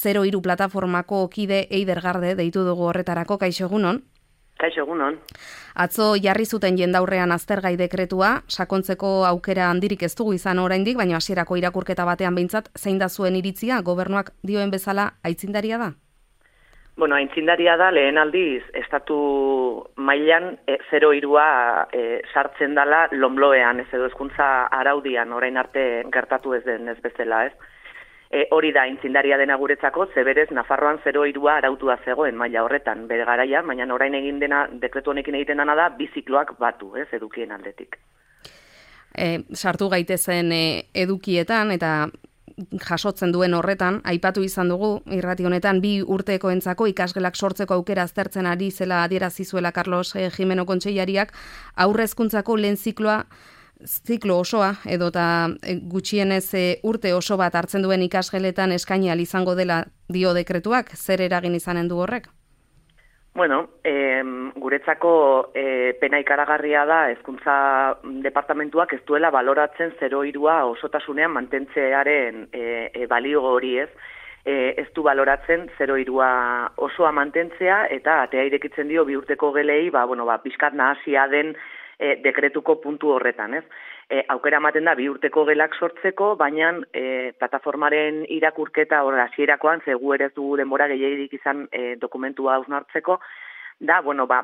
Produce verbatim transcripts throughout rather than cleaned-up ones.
zero hiru plataformako kide Eider Garde deitu dugu horretarako. Kaixo egunon. Kaixo egunon. Atzo jarri zuten jendaurrean aztergai dekretua, sakontzeko aukera handirik ez dugu izan oraindik, baina hasierako irakurketa batean behintzat zein da zuen iritzia, gobernuak dioen bezala aitzindaria da? Bueno, aitzindaria da lehen aldiz estatu mailan e, zero hirua e, sartzen dala lonbloean, ez edo hezkuntza araudian orain arte gertatu ez den ez bezala, ez? E, hori da aitzindaria dena guretzako, zeberez Nafarroan zero hirua arautua zegoen maila horretan, bere garaia, baina orain egin dena dekretu honekin egiten dena da bi zikloak batu, ez, edukien aldetik. E, sartu gaitezen e, edukietan eta jasotzen duen horretan, aipatu izan dugu, irrati honetan, bi urtekoentzako ikasgelak sortzeko aukera aztertzen ari zela adierazi zuela Carlos eh, Jimeno kontseilariak, aurre hezkuntzako lehen zikloa, ziklo osoa, edota eh, gutxienez eh, urte oso bat hartzen duen ikasgeletan eskaini ahal izango dela dio dekretuak, zer eragin izanen du horrek? Bueno, eh, guretzako eh, pena ikaragarria da hezkuntza departamentuak ez duela baloratzen zero hirua osotasunean mantentzearen eh, eh, balio hori ez. Eh, ez du baloratzen zero hirua osoa mantentzea eta atea irekitzen dio bi urteko gelei, ba, bueno, ba, pixkat nahasia den eh, dekretuko puntu horretan, ez? E, aukera ematen da bi urteko gelak sortzeko, baina e, plataformaren irakurketa hor hasierakoan ze gu ere ez dugu denbora gehiegirik izan e, dokumentua hausnartzeko, da, bueno, ba,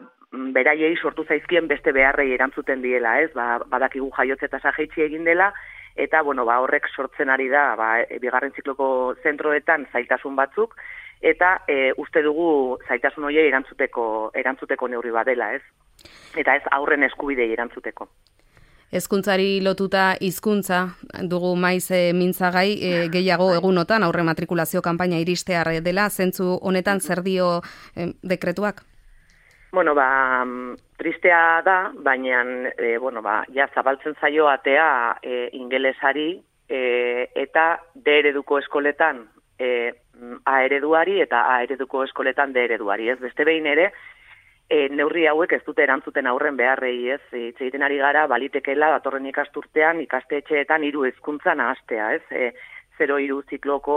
beraiei sortu zaizkien beste beharrei erantzuten diela, ez? Ba, badakigu jaiotze tasa jaitsi egin dela, eta, bueno, ba, horrek sortzen ari da, ba, e, bigarren zikloko zentroetan zailtasun batzuk, eta e, uste dugu zailtasun horiei erantzuteko, erantzuteko neurri badela, ez? Eta ez aurren eskubidei erantzuteko. Hezkuntzari lotuta hizkuntza dugu maiz e, mintzagai e, gehiago egunotan aurre matrikulazio kanpaina iristear dela, zentzu honetan zer dio e, dekretuak? Bueno, ba, tristea da, baina e, bueno, ba, ja zabaltzen zaio atea e, ingelesari e, eta D ereduko eskoletan e, A ereduari eta A ereduko eskoletan D ereduari, ez? Beste behin ere, E, neurri hauek ez dute erantzuten aurren beharrei, ez? Hitz egiten ari gara balitekela datorren ikasturtean ikastetxeetan hiru hezkuntza nahastea, ez? E, zero hiru zikloko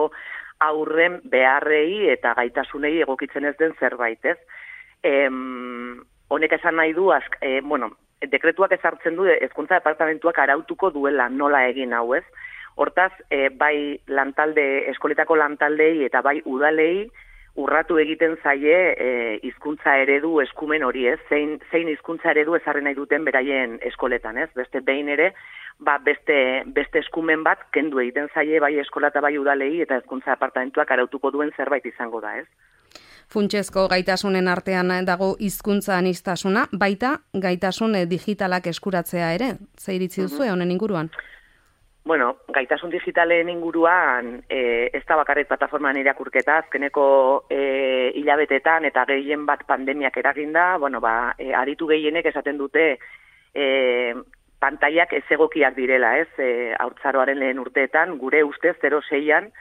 aurren beharrei eta gaitasunei egokitzen ez den zerbait, ez? E, honek esan nahi du, ask, e, bueno, dekretuak ezartzen du hezkuntza departamentuak arautuko duela nola egin hau, ez? Hortaz, e, bai lantalde, eskoletako lantaldei eta bai udalei urratu egiten zaie e, hizkuntza eredu eskumen hori, ez? Zein, zein hizkuntza eredu ezarri nahi duten beraien eskoletan, ez? Beste behin ere, ba, beste, beste eskumen bat kendu egiten zaie bai eskola eta bai udalei eta hezkuntza departamentuak arautuko duen zerbait izango da, ez? Funtsezko gaitasunen artean dago hizkuntza aniztasuna, baita gaitasun digitalak eskuratzea ere. Ze iritzi duzu honen inguruan? Bueno, gaitasun digitalen inguruan e, ez da bakarrik plataforman irakurketa, azkeneko e, hilabetetan eta gehien bat pandemiak eraginda, bueno, ba, e, aritu gehienek esaten dute e, pantaiak ez egokiak direla, ez? E, haurtzaroaren lehen urteetan, gure ustez zero seian,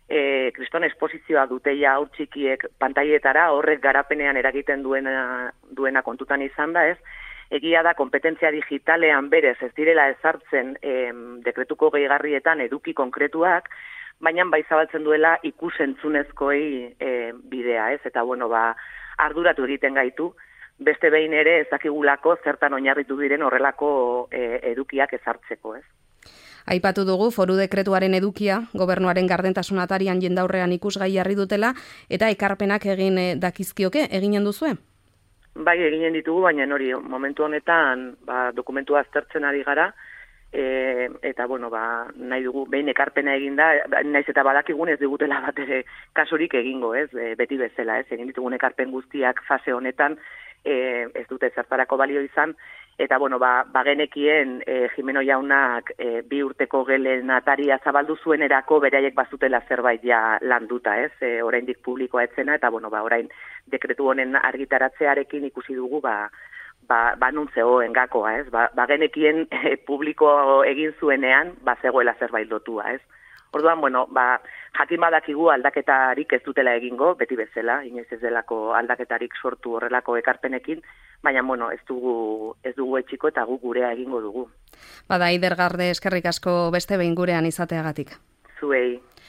e, kriston esposizioa dute ja haur txikiek pantaietara, horrek garapenean eragiten duena, duena kontutan izan da, ez? Egia da, kompetentzia digitalean berez ez direla ezartzen em, dekretuko gehigarrietan eduki konkretuak, baina bai zabaltzen duela ikusentzunezkoei e, bidea, ez? Eta, bueno, ba, arduratu egiten gaitu, beste behin ere ezakigulako zertan oinarritu diren horrelako e, edukiak ezartzeko, ez? Aipatu dugu foru dekretuaren edukia, gobernuaren gardentasun atarian jendaurrean ikusgai jarri dutela, eta ekarpenak egin e, dakizkioke, eginen duzue? Bai, eginen ditugu, baina hori momentu honetan ba, dokumentua aztertzen ari gara, e, eta bueno, ba, nahi dugu behin ekarpena eginda, naiz eta badakigun ez digutela bat ere kasurik egingo, ez, e, beti bezala, ez, egin ditugun ekarpen guztiak fase honetan e, ez dute zertarako balio izan, eta bueno, ba, bagenekien e, Jimeno jaunak e, bi urteko gelen ataria zabaldu zuenerako beraiek bazutela zerbait ja landuta, ez, e, oraindik publikoa etzena, eta bueno, ba, orain dekretu honen argitaratzearekin ikusi dugu, ba, ba, ba nuntzegoen gakoa, ez, ba, bagenekien e, publiko egin zuenean, ba, zegoela zerbait lotua, ez. Orduan, bueno, ba, jakin badakigu aldaketarik ez dutela egingo, beti bezala, inoiz ez delako aldaketarik sortu horrelako ekarpenekin, baina, bueno, ez dugu, ez dugu etxiko eta gu gurea egingo dugu. Bada, Eider Garde, eskerrik asko beste behin gurean izateagatik. Zuei.